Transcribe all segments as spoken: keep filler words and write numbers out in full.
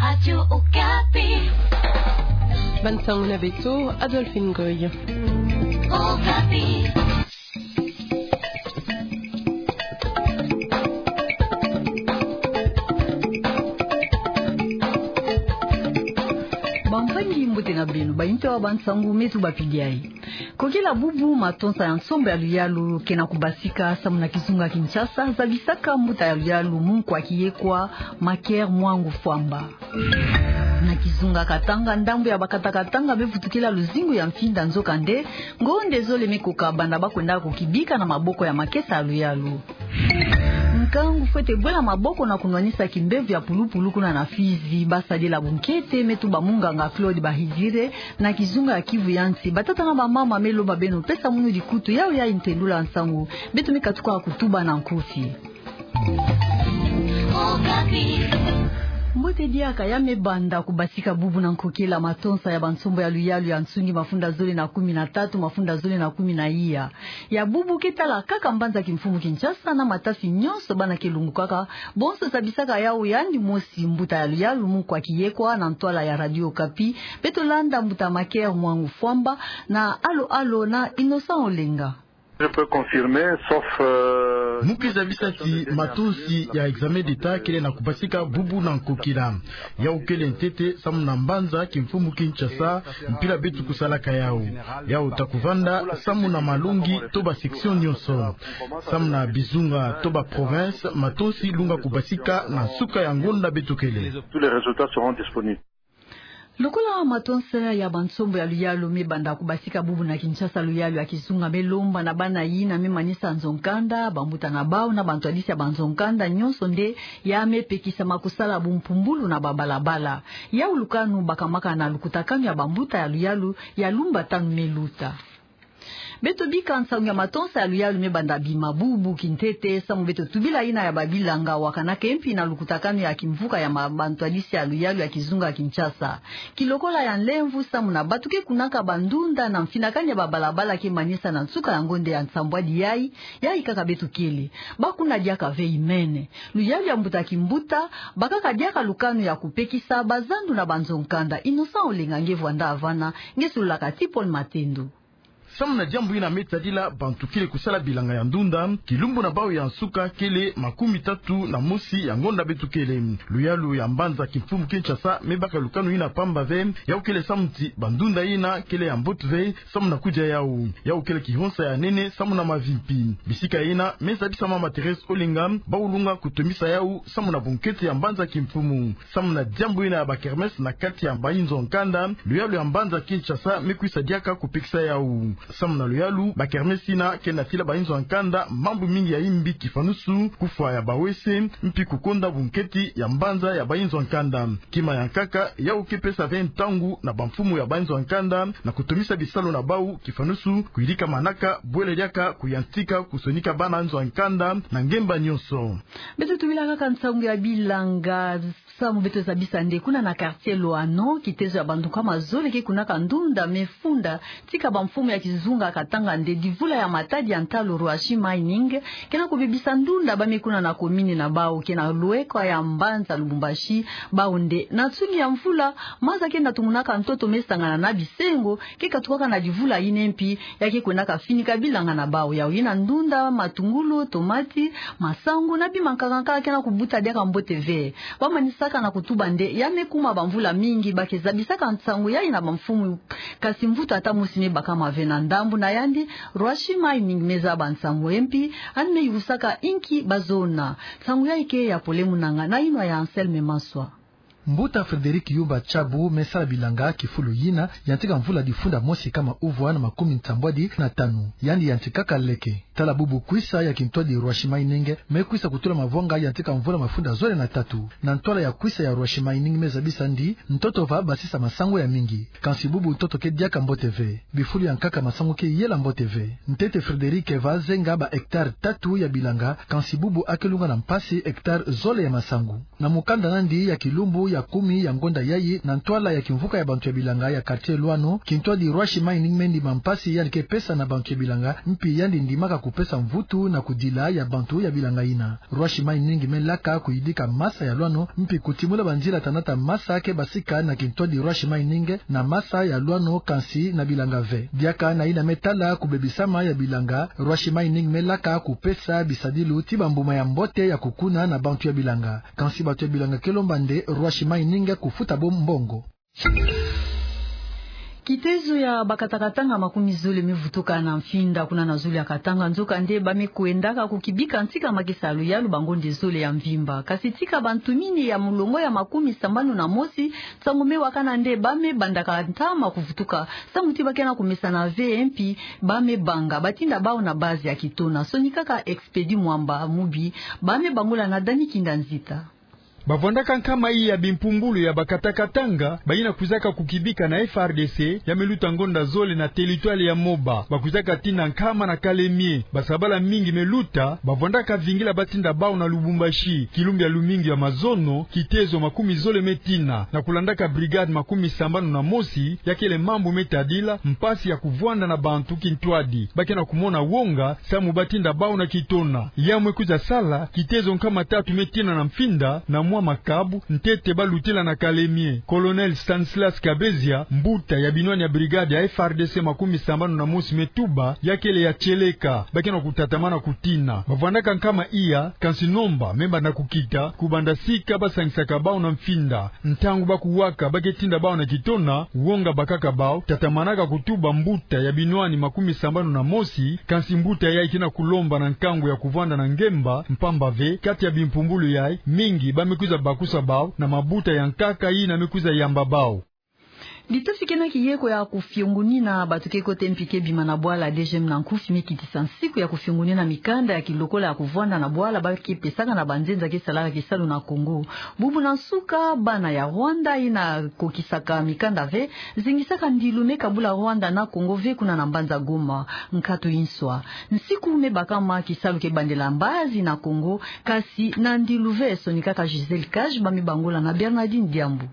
Radio Okapi. Bansangu na beto, Adolphine Goy. Okapi. Bampangi, mbote na beno, bainto ya bansangu me tubapidi ayi. Kokela bubu, matonsa ya nsombo ya luyalu ke na kubasika samu na kizunga Kinshasa, zabisaka mbuta ya luyalu Munkwa Kiyekwa, Maker Mwangu Fwamba. Na kizunga Katanga, ndambu ya bakata Katanga me vutukila luzingu ya mfinda, nzokande ngonde zole me koka banda ba kwenda kukibika na maboko ya makesa ya luyalu. Nkangu fwete bwela maboko na kunwanisa kimbevo ya pulupulu kuna na Fizi, basadila bunkete, me tuba munganga Claude Bahizire, na kizunga ya Kivu ya nsi. Batata na bamama, me lomba beno pesa munu dikutu, yawu yayi ntendula nsangu beto me katuka kutuba na nkufi. Mbote diaka. Ya me banda kubasika bubu na nkokela matonsa ya bansombo ya luyalu ya nsungi mafunda zole na kumi na tatu, mafunda zole na kumi na iya. Ya bubu ke tala kaka mbanza kimfumu Kinshasa na matasi nyonso bana ke lungukaka, bonso zabisaka yawu, yandi mosi mbuta ya luyalu Munkwa Kiyekwa na ntwala ya Radio Okapi. Beto landa mbuta Maker Mwangu Fwamba na alo alo na Innocent Olenga. Je peux confirmer, sauf, euh, Mu ke zabisa ti matonsi ya examen d'État kele na kubasika bubu na nkokila. Yawu kele ntete samu na mbanza kimfumu Kinshasa, mpila beto kusalaka yawu. Yawu ta kuvanda samu na malongi to ba section nyonso. Samu na bizunga to ba province, matonsi lunga kubasika na nsuka ya ngonda beto kele. Tous les résultats seront disponibles. Lokola matonsa ya bansombo ya luyalu me banda kubasika bubu na Kinshasa, luyalu ya kizunga me lomba na bana yina me manisa nzo-nkanda, bambuta na bawu na bantwadisi ya banzo-nkanda nyonso nde ya me pekisama kusala bumpumbulu na babalabala. Yawu lukanu bakamaka na lukutakanu ya bambuta ya luyalu ya lumbu tanu me luta. Beto bika nsangu ya matonsa ya luyalu me banda bima bubu kintete, samu beto tubila yina ya babilanga wakanaka mpi na lukutakanu ya kimvuka ya ma-, bantwadisi ya luyalu ya kizunga Kinshasa. Kilokola ya nlemvu samu na bato ke kunaka bandunda na mfinakani ya babalabala ke manisa na nsuka ya ngonda ya nsambwadi yayi, yayi kaka beto kele. Ba kuna diaka ve imene. Luyalu ya mbuta kimbuta, bakaka diaka lukanu ya kupekisa bazandu na banzo-nkanda. Innocent Olenga nge vwanda vana, nge sololaka ti Paul Matendo. Samu na diambu yina me tadila bantu kele kusala bilanga ya ndunda, kilumbu na bawu ya nsuka kele makumi tatu na mosi ya ngonda beto kele. Luyalu ya mbanza kimfumu Kinshasa me baka lukanu yina pamba ve, yawu kele samu ti bandunda yina kele ya mbote ve, samu na kudia yawu. Yawu kele kihonsa ya nene samu na mavi mpi. Bisika yina me zabisa mama Thérèse Olenga, bawu lunga kutomisa yawu samu na bunkete ya mbanza kimfumu. Samu na diambu yina ya ba kermesse na kati ya bayinzo ya nkanda, luyalu ya mbanza Kinshasa me kwisa diaka kupekisa yawu. Samu na luyalu, ba kermesse yina ke natila bayinzo ya nkanda mambu mingi ya imbi, kifanusu kufwa ya bawese, mpi kukonda bunkete ya mbanza ya bayinzo ya nkanda. Kima ya nkaka, yawu ke pesa ve ntangu na bamfumu ya bayinzo ya nkanda na kutomisa bisalu na bawu, kifanusu kuyidika manaka, bwele diaka kuyantika kusonika bana nzo ya nkanda na ngemba nyonso. Beto tubila kaka nsangu ya bilanga, samu beto zabisa nde kuna na quartier Loano, kitezo ya bantu nkama zole ke kunaka ndunda me funda, tika bamfumu ya kizunga Katanga nde divula ya matadi ya ntalu Rwashi Mining ke na kubebisa ndunda ba me kuna na commune na bawu ke na lweka ya mbanza Lubumbashi. Bawu nde na nsungi ya mvula, maza ke na tumunaka ntoto me sangana na bisengo, ke katukaka na divula yina mpi, ya ke kwendaka finika bilanga na bawu. Yawu yina ndunda, matungulu, tomati, masangu na bima nkaka nkaka ke na kubuta diaka mbote ve. Ba manisaka na kutuba nde ya me kuma bamvula mingi ba ke zabisaka nsangu yayi na bamfumu, kasi mvutu ata mosi me bakama ve. Na ndambu na yandi, Rwashi Mining me zaba nsangu mpi, yandi me yusaka inki bazona. Nsangu yayi ke ya Pole Munanga na yinwa ya Anselme Maswa. Mbuta Frédéric Yumba Tshabu me sala bilanga kifulu yina yantika mvula difunda mosi kama uvwa na makumi nsambwadi na tanu. Yandi yantikaka leke. Tala bubu kwisa ya kintwadi Rwashi Mining me kwisa kutula mavwanga yantika mvula mafunda zole na tatu. Na ntwala ya kwisa ya Rwashi Mining me zabisa nde ntoto va basisa masangu ya mingi. Kansi bubu ntoto ke diaka mbote ve. Bifulu ya nkaka masangu ke yela mbote ve. Ntete Frédéric va zenga ba hectare tatu ya bilanga, kansi bubu a ke lunga na mpasi hectare zole ya masangu. Na mukanda nandi ya kilumbu ya kumi ya ngonda yayi, na ntwala ya kimvuka ya bantu ya bilanga ya quartier Loano, kintwadi Rwashi Mining me ndima mpasi yandi ke pesa na bantu ya bilanga, mpi yandi ndimaka kupesa mvutu na kudila ya bantu ya bilanga yina. Roi Chimay-Ningi me laka kuyidika masa ya lwano, mpi kutimula banzila tanata masa ke basika na kintwadi Roi Chimay-Ningi na masa ya lwano, kansi na bilanga ve. Diaka na yina me tala kubebisama ya bilanga, Roi Chimay-Ningi me laka kupesa bisadilu ti bambuma ya mbote ya kukuna na bantu ya bilanga. Kansi bantu ya bilanga ke lomba nde Roi Chimay-Ningi kufuta bo mbongo. Kitezo ya bakata Katanga makumi zole me vutuka na Mfinda, kuna na zulu ya Katanga. Nzokande ba me kwendaka kukibika ntika makesa ya luyalu bangonde zole ya mvimba. Kasi tika bantumini ya mulongo ya makumi sambanu na mosi, nsangu me wakana nde ba me bandaka ntama kuvutuka, samu ti ba ke na kumesana ve, mpi ba me banga batinda bawu na base ya Kitona. Sonikaka Expedi Mwamba Mubi, ba me bangula na Dani Kinda Nzita. Bavwandaka nkama iya bimpumbulu ya bakata Katanga, bayina kwizaka kukibika na F R D C, ya me luta ngonda zole na territoire ya Moba. Bakwizaka tina nkama na Kalemie. Basabala mingi me luta, bavwandaka vingila batinda bawu na Lubumbashi, kilumbu ya lumingu ya mazono, kitezo makumi zole me tina, na kulandaka brigade makumi sambanu na mosi, ya kele mambu me tadila mpasi ya kuvwanda na bantu kintwadi. Ba ke na kumona wonga, samu batinda bawu na Kitona. Yawu me kwiza sala, kitezo nkama tatu me tina na Mfinda, na mwa makabu, ntete ba lutila na Kalemie. Colonel Stanislas Kabezia, mbuta ya binwani ya brigade ya F R D C makumi sambanu na mosi me tuba, ya kele ya tieleka, ba ke na kutatamana kutina. Bavwandaka nkama iya, kansi nomba me banda kukita, kubanda sika ba sangisaka bawu na Mfinda. Ntangu ba kuwaka ba ke tinda bawu na Kitona, wonga bakaka bawu, tatamanaka kutuba mbuta ya binwani makumi sambanu na mosi, kansi mbuta yayi ke na kulomba na nkangu ya kuvwanda na ngemba, mpamba ve, kati ya bimpumbulu yayi, mingi ba me kwiza bakusa bawu, na mabuta ya nkaka yina me kwiza yamba bawu. Litofi ke na kiyeko ya kufiongunina bato ke kota mpi ke bima na bwala D G M na nkufi me kitisa nsiku ya kufiongunina mikanda ya kilokola ya kuvwanda na bwala ba ke pesaka na banzenza ke salaka kisalu na Kongo. Bubu na nsuka, bana ya Rwanda yina kokisaka mikanda ve, zingisaka ndilu me kabula Rwanda na Kongo ve kuna na mbanza Goma, nkatu inswa. Nsiku me bakama kisalu ke bandela mbazi na Kongo, kasi na ndilu ve. Sonikaka Gisèle Cage, ba me bangula na Bernardine Diambu.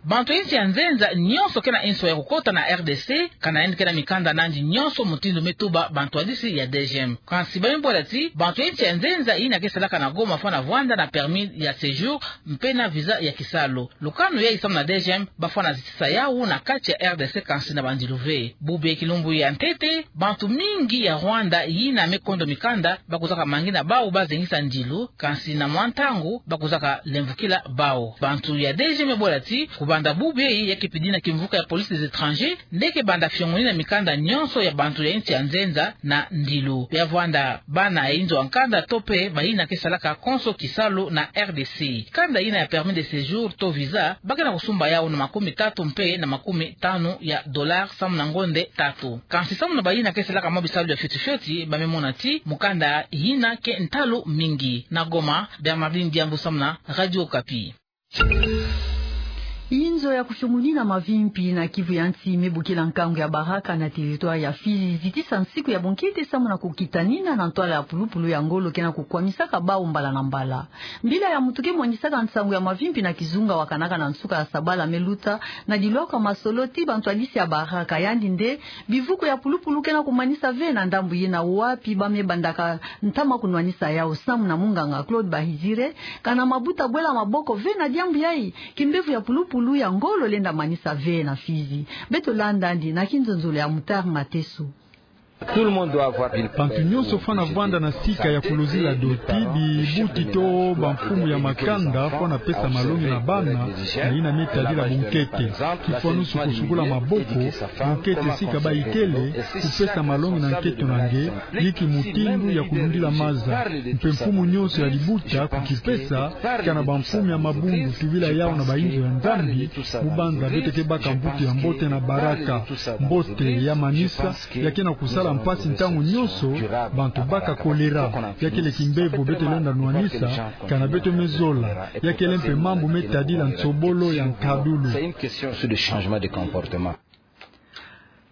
Bantu ya insi ya nzenza nyonso ke na inswa ya kukota na R D C, kana yandi ke na mikanda na yandi nyonso, mutindu me tuba bantwadisi ya D G M. Kansi ba me bwela ti, bantu ya insi ya nzenza yina ke salaka na Goma fwana vwanda na permis ya séjour, mpe na visa ya kisalu. Lukanu yayi samu na D G M, ba fwana zitisa yawu na kati ya R D C kansi na bandilu ve. Bubu kilumbu ya ntete, bantu mingi ya Rwanda yina me kondo mikanda, ba kwizaka mangina bawu ba zengisa ndilu, kansi na mwa ntangu, ba kwizaka lemvukila bawu. Bantu ya D G M me bwela ti, kubanda bubu yayi ya ke pidina kimvuka ya police des étrangers, nde ke banda fiongonina mikanda nyonso ya bantu ya insi ya nzenza na ndilu. Ya vwanda bana ya inzo ya nkanda to mpe bayina ke salaka konso kisalu na R D C. Kanda yina ya permis de séjour to visa, ba ke na kusumba yawu na makumi tatu mpe na makumi tanu ya dollars samu na ngonde tatu. Kansi samu na bayina ke salaka mwa bisalu ya fioti fioti, ba me mona ti mukanda yina ke ntalu mingi. Na Goma, Bernardine Diambu samu na Radio Okapi. Inzo ya kufiongunina mavimpi na Kivu ya Nsi me bokila nkangu ya baraka na territoire ya Fizi, zitisa nsiku ya bunkete samu na kukitanina na ntwala ya pulupulu ya ngolo ke na kukwamisaka bawu mbala na mbala. Mbila ya mutu ke mwanisaka nsangu ya mavimpi na kizunga wakanaka na nsuka ya sabala me luta, na dilwaka masolo ti bantwadisi ya baraka, yandi nde bivuku ya pulupulu ke na kumanisa ve na ndambu yina, wapi ba me bandaka ntama kunwanisa yawu. Samu na munganga Claude Bahizire, kana mabuta bwela maboko ve na diambu yayi, kimbevo ya pulupulu ya ngolo lenda manisa ve na Fizi. Beto landa yandi na kinzonzolo ya Mutar Mateso. Bantu nyonso fwana vwanda na sika ya kuluzila doti, bibuti to bamfumu ya makanda fwana pesa malongi na bana na yina me tadila bunkete. Kifwanusu kusukula maboko, bunkete sika ba ikele, kupesa malongi na nkento na nge, ni kimutindu ya kulundila maza. Mpe mfumu nyonso ya libuta kukipesa, kana bamfumu ya mabundu tubila yawu na bainzo ya Nzambi, mu banza beto ke baka mbutu ya mbote na baraka. Mbote ya manisa, ya ke na kusala mpasi ntangu nyonso, bantu baka choléra. Ya kele kimbevo beto lenda nwanisa, kana beto me zola. Ya kele mpe mambu me tadila nsobolo ya nkadulu.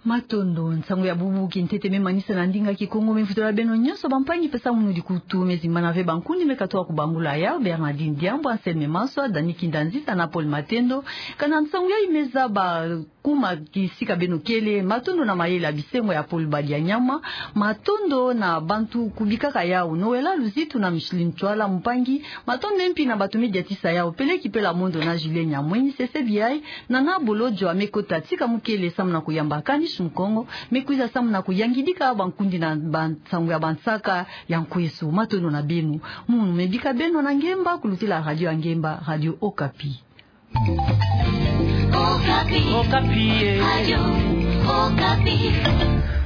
Matondo. Nsangu ya bubu kintete me manisa na ndinga Kikongo me mvutola beno nyonso bampangi pesa munu dikutu. Me zimbana ve bankundi me katoka kubangula yau: Bernardine Diambu, Anselme Maswa, Dani Kindanzita na Paul Matendo. Kana nsangu yayi me zaba kuma kisika beno kele. Matondo na mayele ya bisengo ya Paul Badianyama. Matondo na bantu kubikaka yau: Noëlla Luzitu na Micheline Ntwala, mpangi. Matondo mpe na bato me diatisa yau: Peleki Pela Mondo na Julien Nyamweni. Sese biai, Nana Bolodjwa me kota tika mukele samu na kuyamba Kanish Mukongo, me kwiza samu na kuyangidika bankundi na bansangu ya bansaka ya nkweso. Matondo na beno. Munu me bika beno na ngemba kulutila radio ya ngemba, Radio Okapi. Okapi. Okapi, eh. Radio Okapi.